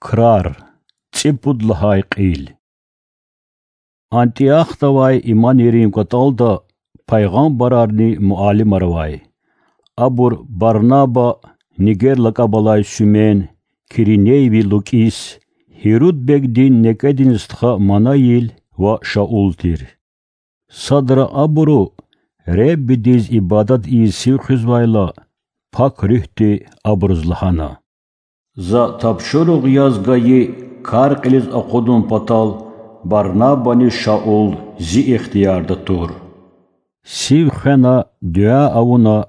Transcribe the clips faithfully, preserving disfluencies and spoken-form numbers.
Крар, цӀипуд лагьай кьил. Антиохда авай иманийрин кӀватӀалда пайгъамбарарни муаллимар авай. Абур Барнаба, Нигер лакӀаб алай Суьмен, киринейви Лукис, Гьируд бегдин некӀедин стха Манаил ва Шаул тир. Садра абуру, Худадиз ибадат ийиз сив хуьзвайла, Пак Руьгьди абуруз лагьана: За тапшуругъ яз гайи кар кьилиз акъудун патал Барнабани Шаул Зи ихтиярда тур. Сив хвена, дуьа авуна,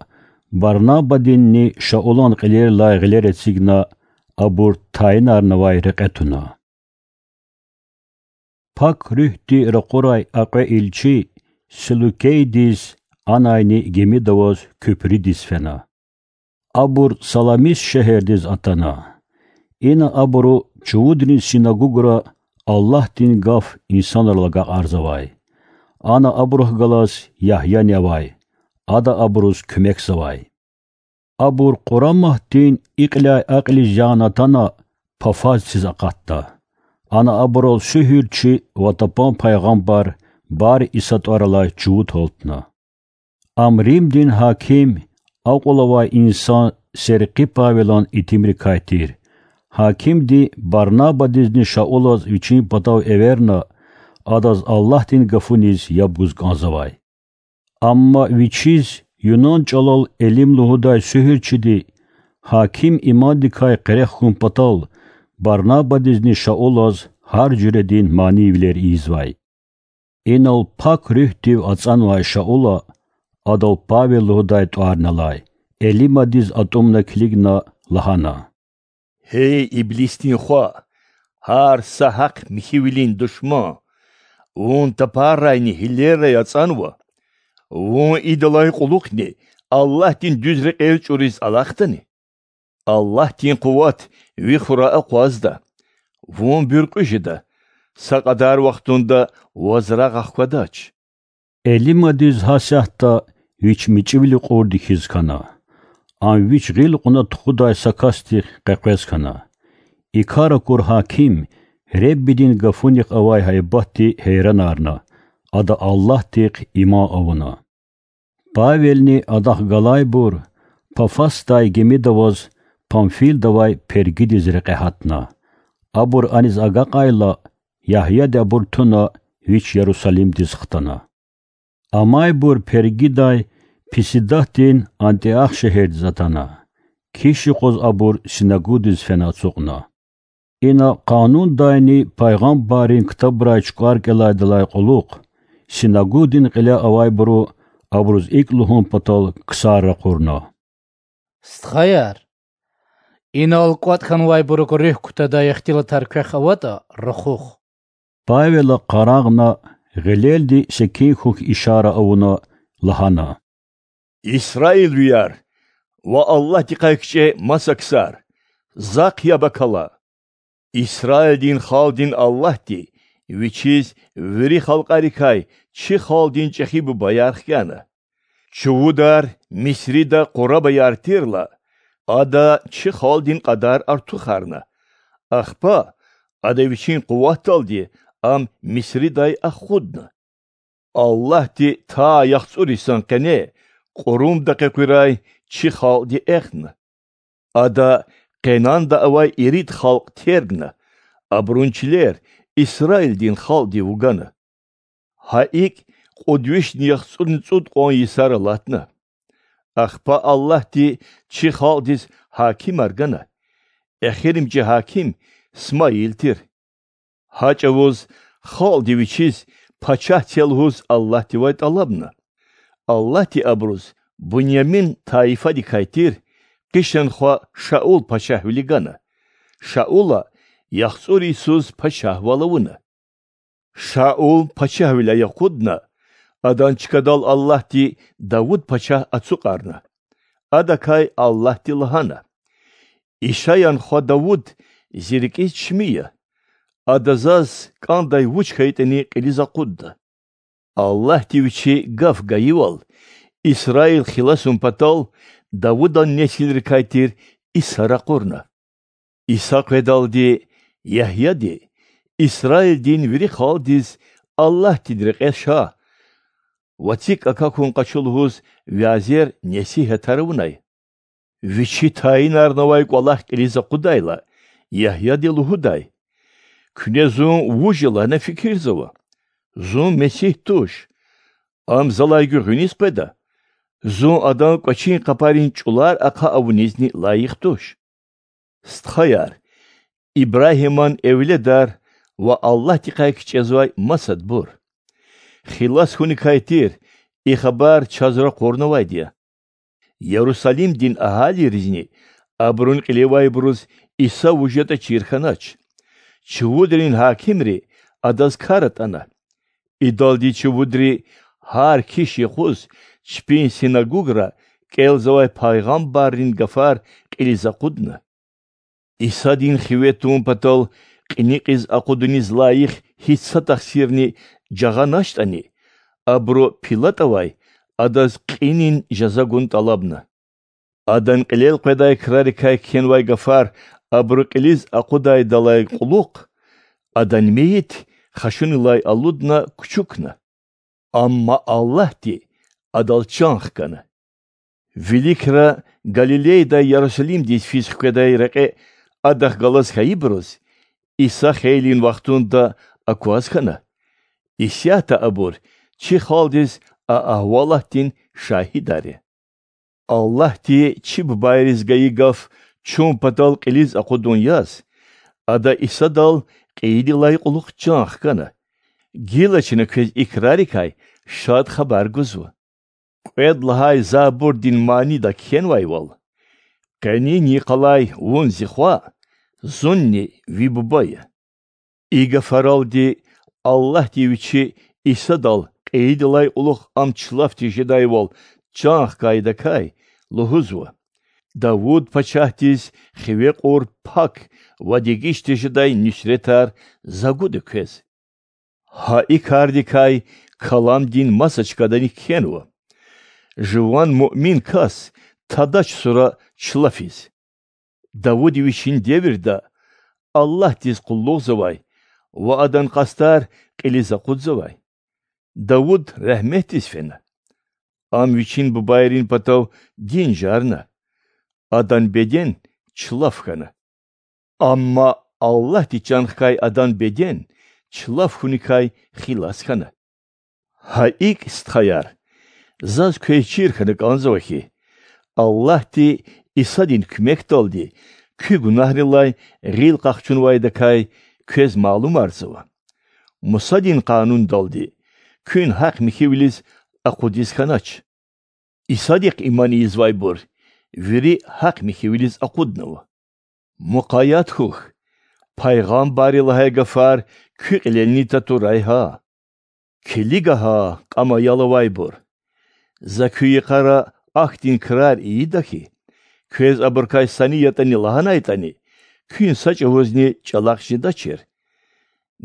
Барнабадинни Шаулан кьилерилай гъилер эцигна, абур тайинарнавай рекье туна. Пак Руьгьди ракъурай а кьве илчи Селукейдиз, анайни гимида аваз куьпрудиз фена. Абур Саламис шегьердиз атана. Ина абуру чувудрин синагугра Аллагьдин гаф инсанрал агакьарзавай. Ана абурухъ галаз Ягьяни авай, ада абуруз куьмекзавай. Абур къураматдин и кьиляй а кьилиз яна атана, Пафаз циз акъатда. Ана абурал суьгьуьрчи ва тапан пайгъамбар Бар-Иса тӀвар алай чувуд гьалтна. Ам Римдин гьаким, акьул авай инсан, серкъи Павелан итимрикай тир. Гьакимди Барнабадизни Шаулаз вичин патав эверна, адаз Аллагьдин гафуниз яб гуз кӀанзавай. Амма вичиз юнан чӀалал Элим лугьудай суьгьуьрчиди, гьаким имандикай къерех хьун патал, Барнабадизни Шаулаз гьар жуьредин манийвилер ийизвай. Инал Пак Руьгьдив ацӀанвай Шаула, адал Павел лугьудай тӀварни алай, Элимадиз атӀумна килигна, лагьана: Гьей иблисдин хва, гьар са гьахъ-михьивилин душман! Вун тапарайни гьилерай ацӀанва? Вун идалай кьулухъни Аллагьдин дуьз рекьел чӀуриз алахъдани? Аллагьдин къуват ви хура акъвазда, вун буьркьуь жеда, са кьадар вахтунда ваз рагъ ахквадач. Элимадиз гьасятда вич мичӀивилин кьурди хьиз хьана. Ам вич гъил кьуна тухудай са касдихъ къекъвез хьана. И кар акур гьаким Худадин гафунихъ авай гьайбатди гьейранарна, ада Аллагьдихъ иман авуна. Павелни адахъ галайбур Пафосдай гимида аваз Памфилда авай Пергидиз рекье гьатна. Абур аниз агакьайла, Ягьяди абур туна, вич Ярусалимдиз хтана. Амайбур Пергидай Писидатдин Антиох шегьердиз атана. Киш юкъуз абур синагугдиз фена ацукьна. Ина Къанундайни пайгъамбаррин ктабрай чукӀвар кӀелайдалай кьулухъ, синагугдин кьиле авайбуру абуруз икӀ лугьун патал ксар ракъурна: Стхаяр, инал кӀватӀ хьанвайбурукай руьгь кутадай ихтилатар квехъ аватӀа, рахух. Павела къарагъна, гъилелди секин хьухь ишара авуна, лагьана: Исраилвияр ва Аллагьдихъай кичӀе маса ксар, захъ яб акала! Исраилдин халкьдин Аллагьди Вичиз вири халкьарикай чи халкьдин чӀехи бубаяр хкяна. Чувудар Мисрида къурабаяр тирла, Ада чи халкьдин кьадар артухарна. Ахпа Ада Вичин къуватдалди ам Мисридай акъудна. Аллагьди та яхцӀур йисан къене кьурумда къекъуьрай чи халкьди эхна. Ада Къенанда авай ирид халкь тергна, абурун чилер Исраилдин халкьдив вугана. Гьа икӀ кьуд вишни яхцӀурни цӀуд кьван йисар алатна. Ахпа Аллагьди чи халкьдиз гьакимар гана. Эхиримжи гьаким Смаил тир. Гьа чӀавуз халкьди вичиз пачагь це лугьуз Аллагьдивай тӀалабна. Аллагьди абуруз Бунямин тайифадикай тир Къишан хва Шаул пачагьвили гана. Шаула яхцӀур йисуз пачагьвал авуна. Шаул пачагьвиляй акъудна, адан чкадал Аллагьди Давуд пачагь ацукьарна. Адакай Аллагьди лагьана: Ишаян хва Давуд Зи рикӀиз чими я. Ада Заз кӀандай вуч хьайитӀани кьилиз акъудда. Аллагьди Вичи гаф гайивал, Исраил хиласун патал Давудан несилрикай тир Иса ракъурна. Иса къведалди Ягьяди Исраилдин вири халкьдиз Аллагьдин рекье ша ва цик акахьун къачу лугьуз вязер-несигьатар авунай. Вичи тайинарнавай кӀвалах кьилиз акъудайла, Ягьяди лугьудай: Куьне зун вуж я лагьана фикирзава. Зун Месигь туш. Ам залай гуьгъуьниз къведа. Зун адан кӀвачин къапарин чӀулар ахъа авунизни лайих туш. Стхаяр, Ибрагьиман эвледар ва Аллагьдикай кичӀезвай масадбур! Хилас хьуникай тир и хабар чаз ракъурнавайди я. Ярусалимдин агьалийризни абурун кьилевайбуруз Иса вуж ятӀа чир хьанач. Чувудрин гьакимри Адаз кар атӀана. Идалди чувудри гьар киш юкъуз чпин синагугра кӀелзавай пайгъамбаррин гафар кьилиз акъудна. Исадин хиве тун патал кьиникьиз акъудуниз лайих гьич са тахсирни жагъаначтӀани, абуру ПилатӀавай Адаз кьинин жаза гун тӀалабна. Адан кьилел къведай крарикай кхьенвай гафар абуру кьилиз акъудайдалай кьулухъ Адан мейит хашунилай алудна кучукна. Амма Аллагьди Адал чан хкана. Виликра Галилейдай Ярусалимдиз физ хкведай рекье Адахъ галаз хьайибуруз Иса хейлин вахтунда акваз хьана. Исятда абур чи халкьдиз а агьвалатдин шагьидар я. Аллагьди чи бубайриз гайи гаф чун патал кьилиз акъудун яз, Ада Исадал кьейидалай кьулухъ чан хкана. Гила чна квез и крарикай Шад Хабар гузва. Кьвед лагьай забурдин манида кхьенвайвал: Къенин йикъалай Вун Зи Хва, Зунни Ви Буба я. И гафаралди Аллагьди Вичи Исадал кьейидалай кьулухъ Ам чна чилел тежедайвал чан хкайдакай лугьузва: Давуд пачагьдиз хиве кьур пак ва дегиш тежедай нуьсретар За гуда квез. Гьа и кардикай Каламдин маса чкадани кхьенва: Жуван муъмин кас тадач сура чна чилел. Давуд вичин девирда Аллагьдиз къуллугъзавай ва Адан къастар кьилиз акъудзавай. Давуд регьметдиз фена. Ам вичин бубайрин патав дин жарна, адан беден чилел хьана. Амма Аллагьди чан хкай адан беден чилел хьуникай хилас хьана. Гьа икӀ, стхаяр, заз квез чир хьана кӀанзава хьи, Аллагьди Исадин куьмекдалди куь гунагьрилай гъил къахчунвайдакай квез малумарзава. Мусадин Къанундалди куьн гьахъ-михьивилиз акъудиз хьанач. Исадихъ иман ийизвайбур вири гьахъ-михьивилиз акъуднава. Мукъаят хьухь, пайгъамбарри лагьай гафар куь кьилелни татурай гьа: Килиг гьа, кьам аял авайбур! За куь йикъара ахьтин крар ийида хьи, квез абурукай са ни ятӀани лагьанайтӀани, куьн са чӀавузни чӀалахъ жедачир.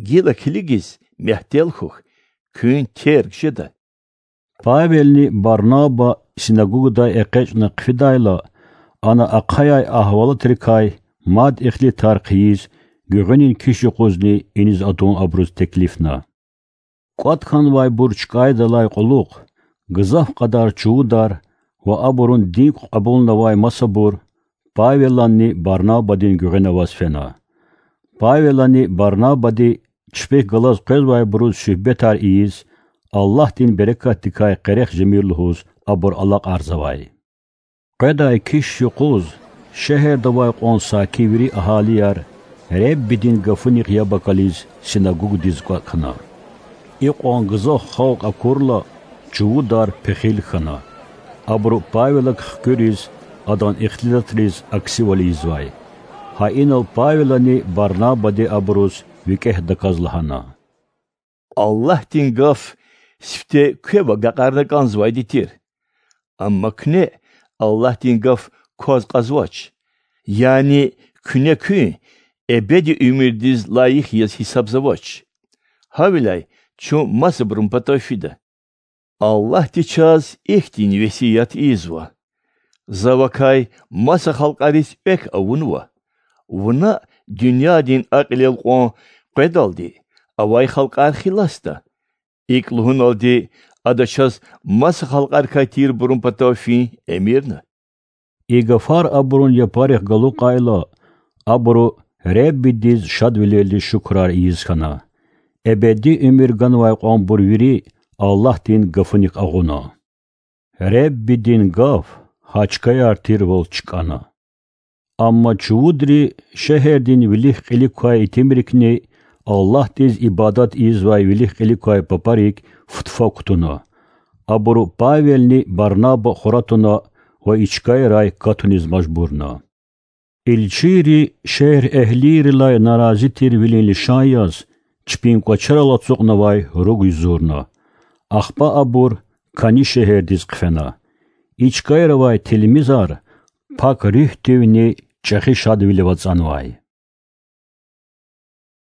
Гила килигиз, мягьтел хьухь, куьн терг жеда. Павелни Барнаба синагогадай экъечӀна хъфидайла, ана ахъаяй агьвалатрикай мад ихтилатар хъийиз, гуьгъуьнин киш юкъузни иниз атун абуруз теклифна. КӀватӀ хьанвайбур чкӀайдалай кьулухъ гзаф кьадар чувудар ва абурун дин кьабулнавай масабур Павеланни Барнабадин гуьгъуьна аваз фена. Павелани Барнабади чпихъ галаз къвезвайбуруз суьгьбетар ийиз, Аллагьдин берекатдикай къерех жемир лугьуз абур алакьарзавай. Къведай киш юкъуз шегьерда авай кьван саки вири агьалияр Реббидин гафунихъ яб акализ синагогадиз кӀватӀ хьана. Икьван гзаф халкь акурла, чувудар пехил хьана. Абуру Павелак хкуьриз, адан ихтилатриз аксивал ийизвай. Гьа инал Павелани Барнабади абуруз викӀегь даказ лагьана: Аллагьдин гаф сифте квев агакьарна кӀанзавайди тир. Амма куьне Аллагьдин гаф кваз кьазвач, яни куьне куьн эбеди уьмуьрдиз лайих яз гьисабзавач. Гьавиляй чун масабурун патав фида. Аллагьди чаз ихьтин весият ийизва: За вакай маса халкьариз экв авунва, вуна дуьньядин акьул элкъвен къведалди авай халкьар хиласда. ИкІ лугьуналди, Ада чаз маса халкьарикай тирбурун патав фин эмирна. И гафар абурун япарихъ галукьайла, абуру Худадиз шадвилелди шукурар ийиз хьана. Эбеди уьмуьр ганвай кьванбур вири Аллагьдин гафуник агъуна. Худадин гаф гьа чкаяр тирвал чкІана. Амма чувудри шегьердин вилик-кьилик квай итимрикни Аллагьдиз ибадат ийизвай вилик-кьилик квай папарик футфа кутуна. Абуру Павелни Барнаба хура туна ва и чкайрай катуниз мажбурна. Илчийри шегьерэгьлийрилай нарази тирвилин лишан яз чпин кІвачерал ацукьнавай руг юзурна. Ахпа абур КІани шегьердиз хъфена. И чкайра авай тилмизар Пак Руьгьдивни чІехи шадвилив ацІанвай.